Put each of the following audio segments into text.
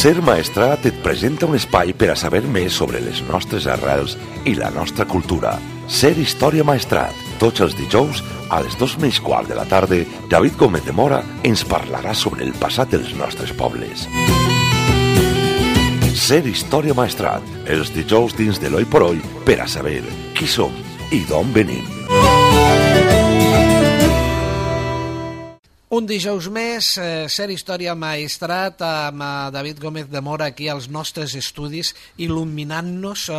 Ser Maestrat et presenta un espai per a saber més sobre les nostres arrels i la nostra cultura. Ser Història Maestrat. Tots els dijous, a les 2:15 de la tarda, David Gómez de Mora ens parlarà sobre el passat dels nostres pobles. Ser Història Maestrat. Els dijous dins de l'Oi por Oi per a saber qui som i d'on venim. Un dijous més, Ser Història Maestrat amb David Gómez de Mora aquí als nostres estudis, il·luminant-nos,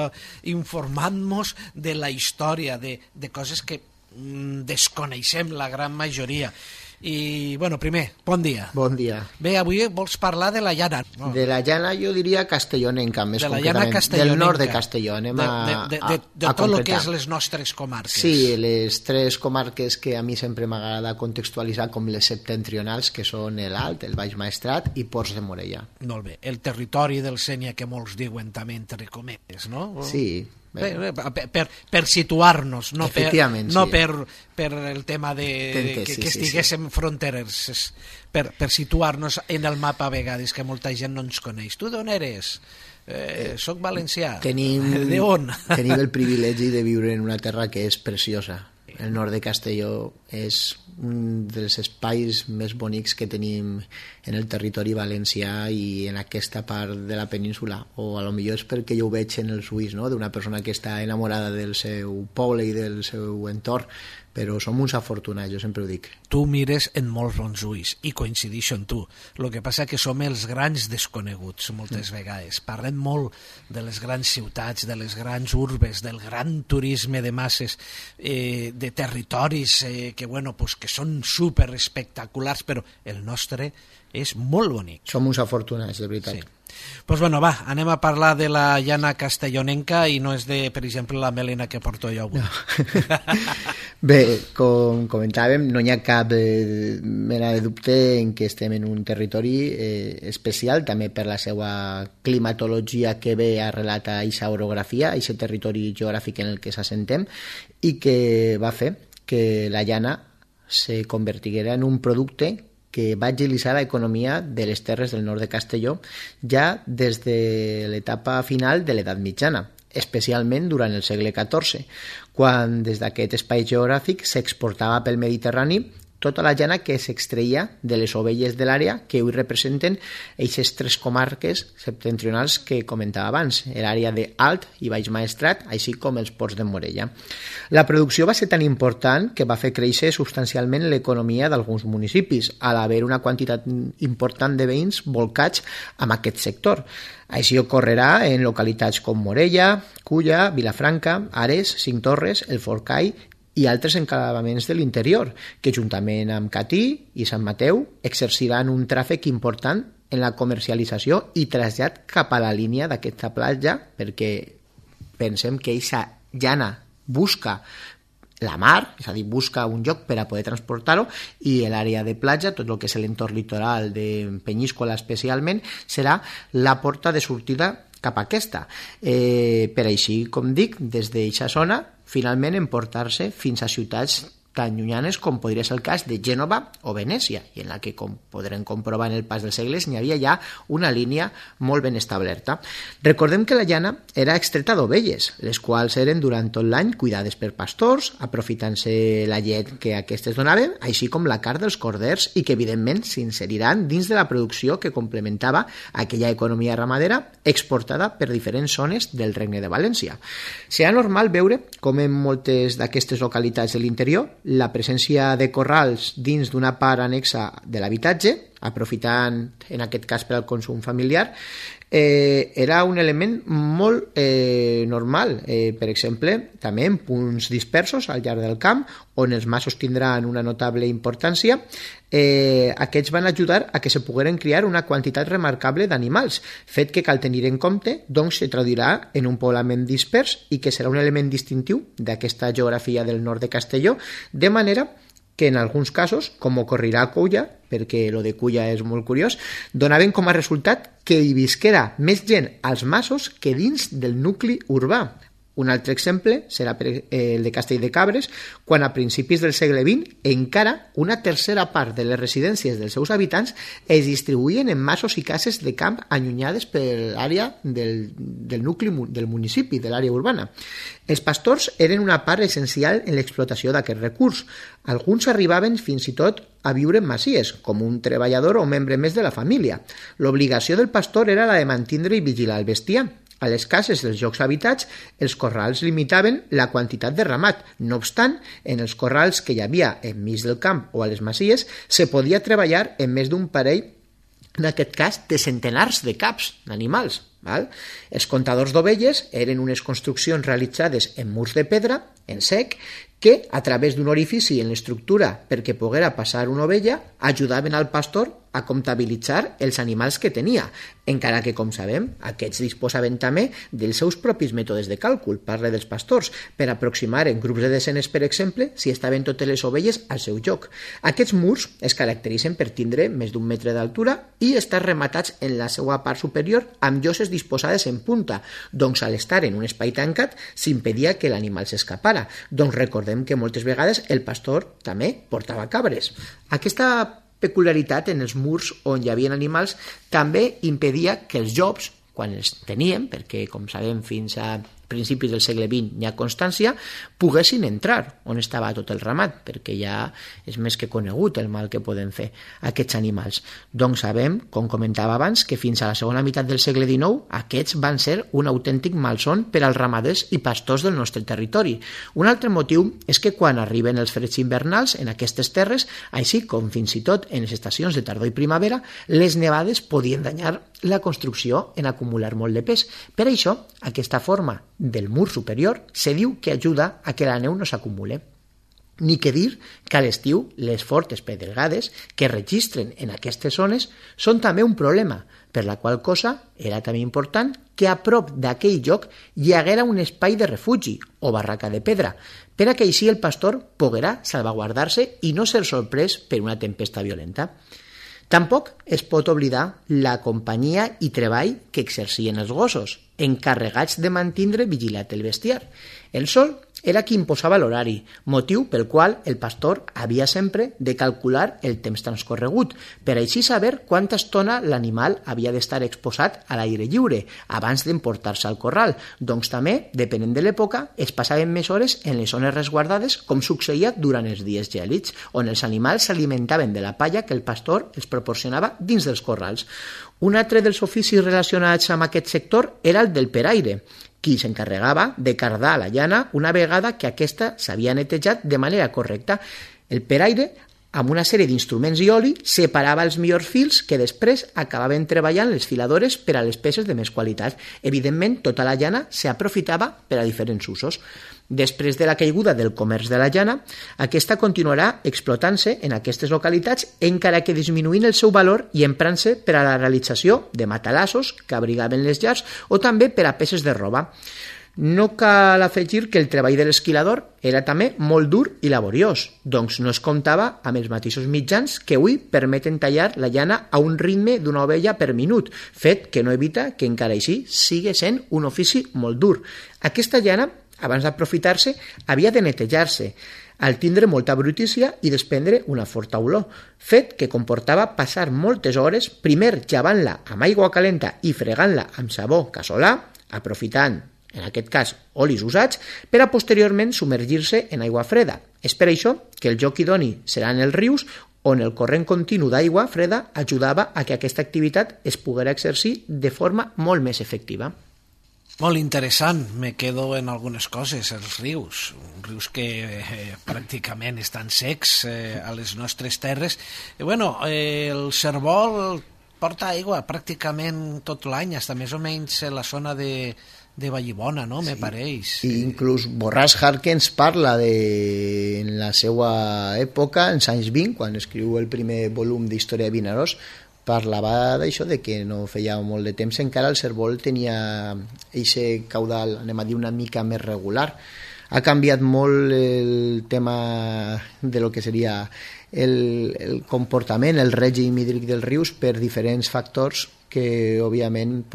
informant-nos de la història, de coses que desconeixem la gran majoria. I, bueno, primer, bon dia. Bon dia. Bé, avui vols parlar de la llana. No? De la llana jo diria castellonenca, més de la concretament. Llana castellonenca. Del nord de Castelló. Anem de tot el que és les nostres comarques. Sí, les tres comarques que a mi sempre m'agrada contextualitzar com les septentrionals, que són l'Alt, el Baix Maestrat i Ports de Morella. Molt bé. El territori del Sénia, que molts diuen també entre cometes, no? Sí. Per situar-nos, no per el tema que estiguéssim fronterers, per situar-nos en el mapa a vegades, que molta gent no ens coneix. Tu d'on eres? Soc valencià. De on? Tenim el privilegi de viure en una terra que és preciosa. El nord de Castelló és un dels espais més bonics que tenim en el territori valencià i en aquesta part de la península, o a lo millor és perquè jo ho veig en els ulls, no? D'una persona que està enamorada del seu poble i del seu entorn, però som uns afortunats, jo sempre ho dic. Tu mires en molts bons ulls i coincideixo en tu. El que passa que som els grans desconeguts moltes vegades. Parlem molt de les grans ciutats, de les grans urbes, del gran turisme de masses, de territoris que són super espectaculars, però el nostre és molt bonic. Som uns afortunats, de veritat. Sí. Doncs bueno, va, anem a parlar de la llana castellonenca i no és de, per exemple, la melena que porto jo avui. No. Bé, com comentàvem, no hi ha cap mena de dubte en què estem en un territori especial, també per la seva climatologia que ve arrelat a aquesta orografia, a aquest territori geogràfic en el que s'assentem, i que va fer que la llana se convertiguera en un producte que va agilitzar l'economia de les terres del nord de Castelló ja des de l'etapa final de l'edat mitjana, especialment durant el segle XIV, quan des d'aquest espai geogràfic s'exportava pel Mediterrani tota la llana que s'extreia de les ovelles de l'àrea que avui representen aquestes tres comarques septentrionals que comentava abans, l'àrea d'Alt i Baix Maestrat, així com els Ports de Morella. La producció va ser tan important que va fer créixer substancialment l'economia d'alguns municipis, al haver una quantitat important de veïns volcats amb aquest sector. Així ocorrerà en localitats com Morella, Culla, Vilafranca, Ares, Cinctorres, el Forcall i altres enclavaments de l'interior, que juntament amb Catí i Sant Mateu exerciran un tràfic important en la comercialització i trasllat cap a la línia d'aquesta platja, perquè pensem que aquesta llana busca la mar, és a dir, busca un lloc per a poder transportar-ho, i l'àrea de platja, tot el que és l'entorn litoral de Penyíscola especialment, serà la porta de sortida cap a aquesta. Per així, com dic, des d'aquesta zona, finalment emportar-se fins a ciutats tan llunyanes com podria ser el cas de Gènova o Venècia, i en la que, com podrem comprovar en el pas dels segles, n'hi havia ja una línia molt ben establerta. Recordem que la llana era extreta d'ovelles, les quals eren durant tot l'any cuidades per pastors, aprofitant-se la llet que aquestes donaven, així com la carn dels corders, i que evidentment s'inseriran dins de la producció que complementava aquella economia ramadera exportada per diferents zones del Regne de València. Serà normal veure com en moltes d'aquestes localitats de l'interior la presència de corrals dins d'una part anexa de l'habitatge, aprofitant en aquest cas per al consum familiar, era un element molt normal. Per exemple, també en punts dispersos al llarg del camp, on els masos tindran una notable importància, aquests van ajudar a que se pogueren criar una quantitat remarcable d'animals, fet que cal tenir en compte, doncs se traduirà en un poblament dispers i que serà un element distintiu d'aquesta geografia del nord de Castelló, de manera que en alguns casos, com ocorrirà a Culla, perquè lo de Culla és molt curiós, donaven com a resultat que hi visquera més gent als masos que dins del nucli urbà. Un altre exemple serà el de Castell de Cabres, quan a principis del segle XX encara una tercera part de les residències dels seus habitants es distribuïen en masos i cases de camp allunyades per l'àrea del nucli del municipi, de l'àrea urbana. Els pastors eren una part essencial en l'explotació d'aquest recurs. Alguns arribaven fins i tot a viure en masies, com un treballador o membre més de la família. L'obligació del pastor era la de mantindre i vigilar el bestiar. A les cases dels llocs habitats, els corrals limitaven la quantitat de ramat. No obstant, en els corrals que hi havia enmig del camp o a les masies, se podia treballar en més d'un parell, en aquest cas, de centenars de caps d'animals. Els comptadors d'ovelles eren unes construccions realitzades en murs de pedra, en sec, que, a través d'un orifici en l'estructura perquè poguera passar una ovella, ajudaven al pastor a comptabilitzar els animals que tenia, encara que, com sabem, aquests disposaven també dels seus propis mètodes de càlcul, parle dels pastors, per aproximar en grups de desenes, per exemple, si estaven totes les ovelles al seu lloc. Aquests murs es caracteritzen per tindre més d'un metre d'altura i estar rematats en la seva part superior amb lloses disposades en punta, doncs al estar en un espai tancat s'impedia que l'animal s'escapara. Doncs recordem que moltes vegades el pastor també portava cabres. Aquesta peculiaritat en els murs on hi havia animals també impedia que els llops, quan els teníem, perquè com sabem fins a principis del segle XX hi ha constància, poguessin entrar on estava tot el ramat, perquè ja és més que conegut el mal que poden fer aquests animals. Doncs sabem, com comentava abans, que fins a la segona meitat del segle XIX aquests van ser un autèntic malson per als ramaders i pastors del nostre territori. Un altre motiu és que quan arriben els freds invernals en aquestes terres, així com fins i tot en les estacions de tardor i primavera, les nevades podien danyar la construcció en acumular molt de pes. Per això, aquesta forma del mur superior se diu que ajuda a que la neu no s'acumule. Ni que dir que a l'estiu les fortes pedregades que registren en aquestes zones són també un problema, per la qual cosa era també important que a prop d'aquell lloc hi haguera un espai de refugi o barraca de pedra, per a que així el pastor poguera salvaguardar-se i no ser sorprès per una tempesta violenta. Tampoc es pot oblidar la companyia i treball que exercien els gossos, encarregats de mantindre vigilat el bestiar. El sol era qui imposava l'horari, motiu pel qual el pastor havia sempre de calcular el temps transcorregut, per així saber quanta estona l'animal havia d'estar exposat a l'aire lliure abans d'emportar-se al corral. Doncs també, depenent de l'època, es passaven més hores en les zones resguardades, com succeïa durant els dies gèlids, on els animals s'alimentaven de la palla que el pastor els proporcionava dins dels corrals. Un altre dels oficis relacionats amb aquest sector era el del peraire, qui s'encarregava de cardar la llana una vegada que aquesta s'havia netejat de manera correcta. El peraire, amb una sèrie d'instruments i oli, separava els millors fils que després acabaven treballant les filadores per a les peces de més qualitat. Evidentment, tota la llana s'aprofitava per a diferents usos. Després de la caiguda del comerç de la llana, aquesta continuarà explotant-se en aquestes localitats, encara que disminuint el seu valor i emprant-se per a la realització de matalassos que abrigaven les llars o també per a peces de roba. No cal afegir que el treball de l'esquilador era també molt dur i laboriós, doncs no es comptava amb els mateixos mitjans que avui permeten tallar la llana a un ritme d'una ovella per minut, fet que no evita que encara així sigui sent un ofici molt dur. Aquesta llana, abans d'aprofitar-se, havia de netejar-se, al tindre molta brutícia i desprendre una forta olor, fet que comportava passar moltes hores primer llavant-la amb aigua calenta i fregant-la amb sabó casolà, aprofitant, en aquest cas, olis usats, per a posteriorment submergir-se en aigua freda. És per això que el lloc idoni seran els rius, on el corrent continu d'aigua freda ajudava a que aquesta activitat es poguera exercir de forma molt més efectiva. Molt interessant, me quedo en algunes coses, els rius que pràcticament estan secs a les nostres terres. I el cérvol porta aigua pràcticament tot l'any, fins més o menys la zona de Vallibona, no? Sí. Me pareix. I inclús Borràs Harkens parla en la seva època, en anys 20, quan escriu el primer volum d'Història de Vinaròs, parlava d'això, de que no feia molt de temps encara el cérvol tenia aquest caudal, anem a dir, una mica més regular. Ha canviat molt el tema de lo que seria el comportament, el règim hídric dels rius per diferents factors que òbviament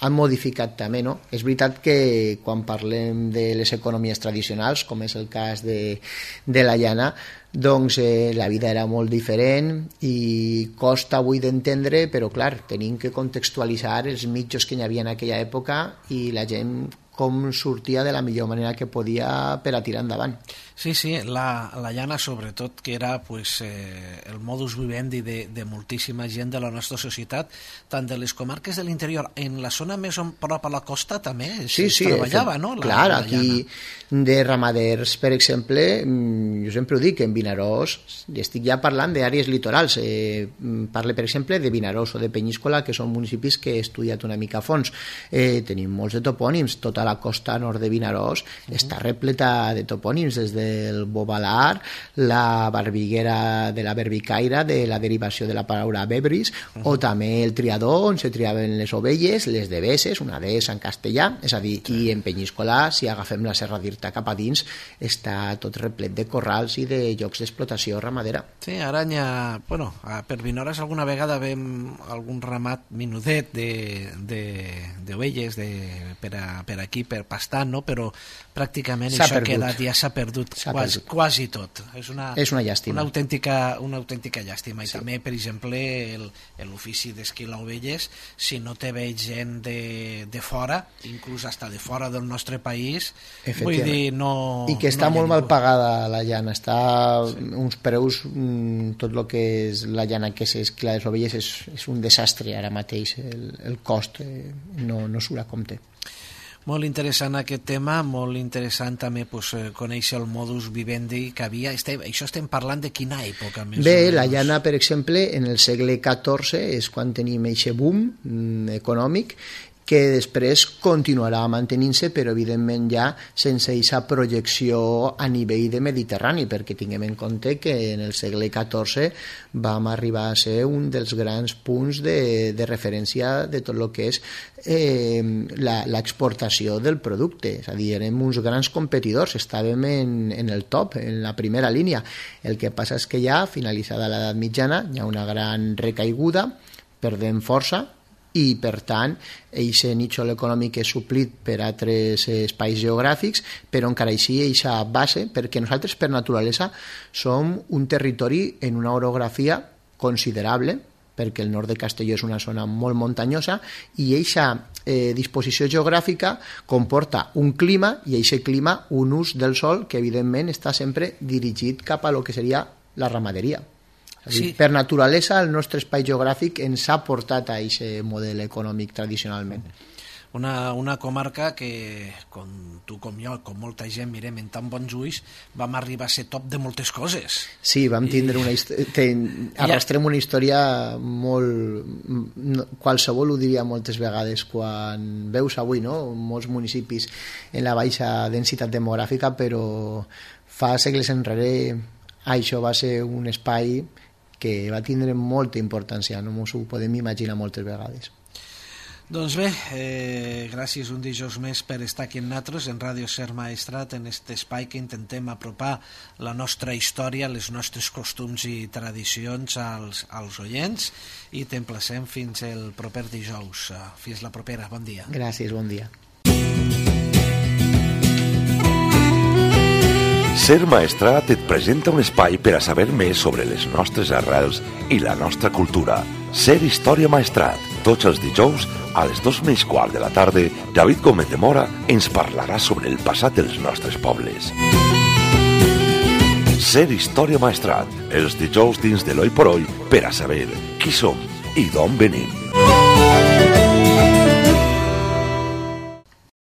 han modificat també, no? És veritat que quan parlem de les economies tradicionals, com és el cas de la llana, doncs la vida era molt diferent i costa avui d'entendre, però clar, tenim que contextualitzar els mitjos que hi havia en aquella època i la gent com sortia de la millor manera que podia per a tirar endavant. Sí, la llana sobretot, que era el modus vivendi de moltíssima gent de la nostra societat, tant de les comarques de l'interior, en la zona més prop a la costa també es treballava, no? Clar, aquí de ramaders, per exemple, jo sempre ho dic, en Vinaròs, estic ja parlant d'àrees litorals, parle per exemple de Vinaròs o de Penyíscola, que són municipis que he estudiat una mica a fons. Tenim molts de topònims, tota la costa nord de Vinaròs està repleta de topònims, des del Bobalar, la barbiguera de la Berbicaire, de la derivació de la paraula bebris, o també el triador, on se triaven les ovelles, les deveses, una dehesa en castellà, és a dir, i en Penyíscola, si agafem la Serra d'Irta cap a dins, està tot replet de corrals i de llocs d'explotació ramadera. Sí, ara hi ha, per Vinaròs alguna vegada vem algun ramat minudet d'ovelles per aquí, per pastar, no? Però pràcticament això ha quedat, ja s'ha perdut quasi tot. És una llàstima. Una autèntica llàstima. I també, per exemple, l'ofici d'esquilar ovelles, si no te veig gent de fora, inclús hasta de fora del nostre país, vull dir, no... I que està molt mal pagada la llana, està uns preus, tot el que és la llana que s'esquila les ovelles és un desastre ara mateix, el cost no surt a compte. Molt interessant aquest tema, molt interessant també conèixer el modus vivendi que havia. Això estem parlant de quina època? Bé, la llana, per exemple, en el segle XIV és quan tenim aquest boom econòmic, que després continuarà mantenint-se, però evidentment ja sense aquesta projecció a nivell de Mediterrani, perquè tinguem en compte que en el segle XIV vam arribar a ser un dels grans punts de referència de tot el que és l'exportació del producte, és a dir, érem uns grans competidors, estàvem en el top, en la primera línia. El que passa és que ja, finalitzada l'edat mitjana, hi ha una gran recaiguda, perdem força, i per tant aquest nítxol econòmic és suplit per altres espais geogràfics, però encara així aquesta base, perquè nosaltres per naturalesa som un territori en una orografia considerable, perquè el nord de Castelló és una zona molt muntanyosa i aquesta disposició geogràfica comporta un clima i aquest clima un ús del sol que evidentment està sempre dirigit cap a lo que seria la ramaderia. Sí. Per naturalesa el nostre espai geogràfic ens ha portat a aquest model econòmic tradicionalment. Una comarca que, com tu com jo, com molta gent mirem en tan bons ulls, vam arribar a ser top de moltes coses. Sí, vam tindre arrastrem una història molt... Qualsevol ho diria moltes vegades quan veus avui, no? Molts municipis en la baixa densitat demogràfica, però fa segles enrere això va ser un espai que va tindre molta importància, no ens ho podem imaginar moltes vegades. Doncs bé, gràcies un dijous més per estar aquí amb nosaltres en Ràdio Ser Maestrat, en aquest espai que intentem apropar la nostra història, les nostres costums i tradicions als oients, i t'emplacem fins el proper dijous. Fins la propera, bon dia. Gràcies, bon dia. Ser Maestrat et presenta un espai per a saber més sobre les nostres arrels i la nostra cultura. Ser Història Maestrat. Tots els dijous, a les 2:15 de la tarda, David Gómez de Mora ens parlarà sobre el passat dels nostres pobles. Ser Història Maestrat. Els dijous dins de l'Oi por Oi per a saber qui som i d'on venim.